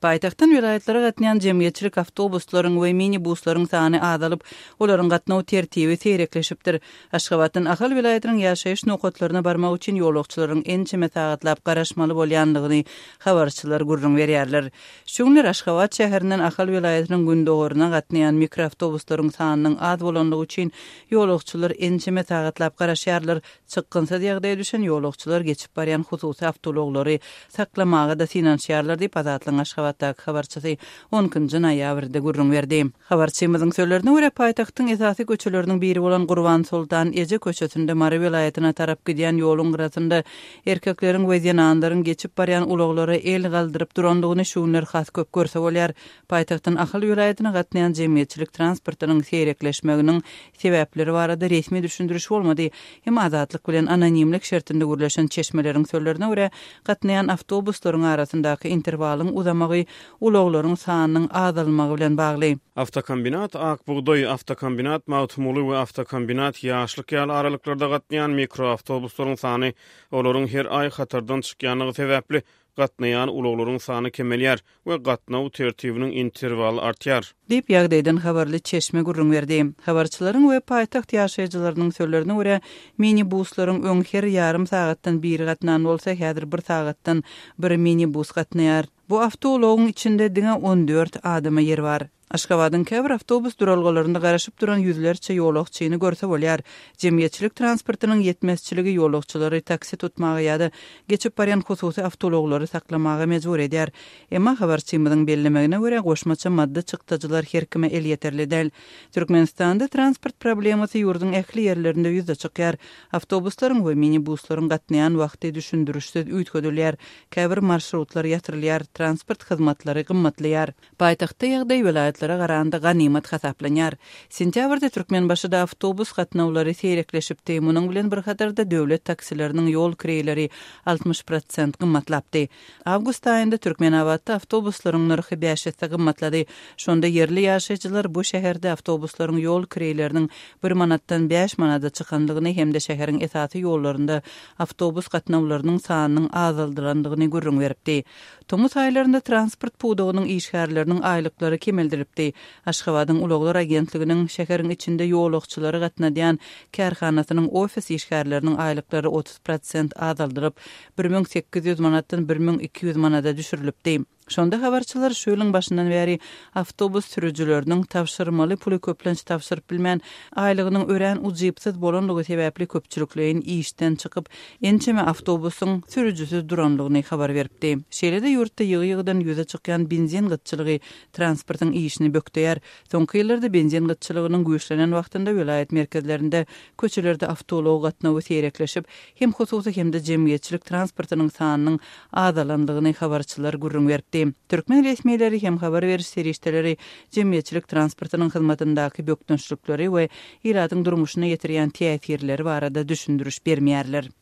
Paýtagtdan welaýatlara gatnaýan jemgyýetçilik awtobuslaryň we minibuslaryň sany azalyp, olaryň gatnaw tertibi seýrekleşipdir. Aşgabatdan Ahal welaýatynyň ýaşaýyş nokatlaryna barmak üçin ýolagçylaryň ençeme sagatlap garaşmaly bolýandygyny habarçylar gürrüň berýärler. Şu günler Aşgabat şäherinden Ahal welaýatynyň gündogaryna gatnaýan mikroawtobuslaryň sanynyň az bolanlygy üçin ýolagçylar ençeme sagatlap garaşýarlar, Çykgynsyz ýagdaýa düşen ýolagçylar geçip barýan hususy awtoulaglary saklamaga-da synanyşýarlar diýip, Azatlygyň Aşgabatdaky habarçysy on ikinji noýabrda gürrüň berdi. Habarçymyzyň sözlerine görä, paýtagtyň esasy köçeleriniň biri bolan Gurbansoltan eje köçesinde Mary welaýatyna tarap gidýän ýoluň gyrasynda erkekleriň we zenanlaryň geçip barýan ulaglara el galdyryp durandygyny şu günler has köp görse bolýar. Paýtagtdan Ahal welaýatyna gatnaýan jemgyýetçilik transportynyň seýrekleşmeginiň sebäpleri barada resmi düşündiriş bolmady. Emma Azatlyk bilen anonimlik şertinde gürleşen çeşmeleriň sözlerine görä, gatnaýan awtobuslaryň arasyndaky interwalyň uzamagy ulaglaryň sanynyň azalmagy bilen bagly. Awtokombinat Ak bugdaý, Awtokombinat Magtymguly we Awtokombinat Ýaşlyk ýaly aralyklarda gatnaýan mikroawtobuslaryň sany olaryň her aý hatardan çykýanlygy sebäpli gatnaýan ulaglaryň sany kemelýär we gatnaw tertibiniň interwaly artýar. Diýip, ýagdaýdan habarly çeşme gürrüň berdi. Habarçylaryň we paýtagt ýaşaýjylarynyň sözlerine görä, minibuslaryň öň her ýarym sagatdan biri gatnan bolsa, häzir bir sagatdan bir minibus gatnaýar. Bu awtoulagyň içinde diňe 14 adama ýer bar. Aşgabadyň käbir awtobus duralgalarynda garaşyp duran ýüzlerçe ýolagçyny görse bolýar. Jemgyýetçilik transportynyň ýetmezçiligi ýolagçylary taksi tutmaga ýa-da geçip barýan hususy awtoulaglary saklamaga mejbur edýär. Emma habarçymyzyň bellemegine görä, goşmaça maddy çykdajylar her kime elýeterli däl. Türkmenistanda transport problemasy ýurduň ähli ýerlerinde ýüze çykýar. Awtobuslaryň we minibuslaryň gatnaýan wagty düşündirişsiz üýtgedilýär, käbir marşrutlar ýatyrylýar, transport hyzmatlary gymmatlaýar. Paýtagtda ýagdaý welaýatlara garanda ganymat hasaplanýar. Sentýabrda Türkmenbaşyda awtobus gatnawlary seýrekleşipdi, munuň bilen bir hatarda döwlet taksileriniň ýol kireýleri 60 prosent gymmatlapdy. Awgust aýynda Türkmenabatda awtobuslaryň nyrhy bäş esse gymmatlady. Şonda ýerli ýaşaýjylar bu şäherde awtobuslaryň ýol kireýleriniň bir manatdan bäş manada çykandygyny hem-de şäheriň esasy ýollarynda awtobus gatnawlarynyň sanynyň azaldylandygyny gürrüň beripdi. Tomus aýlarynda transport pudagynyň işgärleriniň aýlyklary kemeldilipdi. Aşgabadyň ulaglar agentliginiň şäheriň içinde ýolagçylary gatnadýan kärhanasynyň ofis işgärleriniň aýlyklary 30 prosent azaldylyp, 1800 manatdan 1200 manada düşürilipdi. Şonda habarçylar şu ýylyň başyndan bäri awtobus sürüjileriniň tabşyrmaly puly köplenç tabşyryp bilmän, aýlygynyň örän ujypsyz bolanlygy sebäpli köpçülikleýin işden çykyp, ençeme awtobusyň sürüjisiz duranlygyny habar beripdi. Şeýle-de ýurtda ýygy-ýygydan ýüze çykýan benzin gytçylygy transportyň işini bökdeýär. Soňky ýyllarda benzin gytçylygynyň güýçlenen wagtynda welaýat merkezlerinde köçelerde awtoulag gatnawy seýrekleşip, hem hususy hem-de jemgyýetçilik transportynyň sanynyň azalandygyny habarçylar gürrüň beripdi. Türkmen resmileri hem habar beriş serişdeleri jemgyýetçilik transportynyň hyzmatyndaky bökdençlikleri we ilatyň durmuşyna ýetirýän täsirleri barada düşündiriş bermeýärler.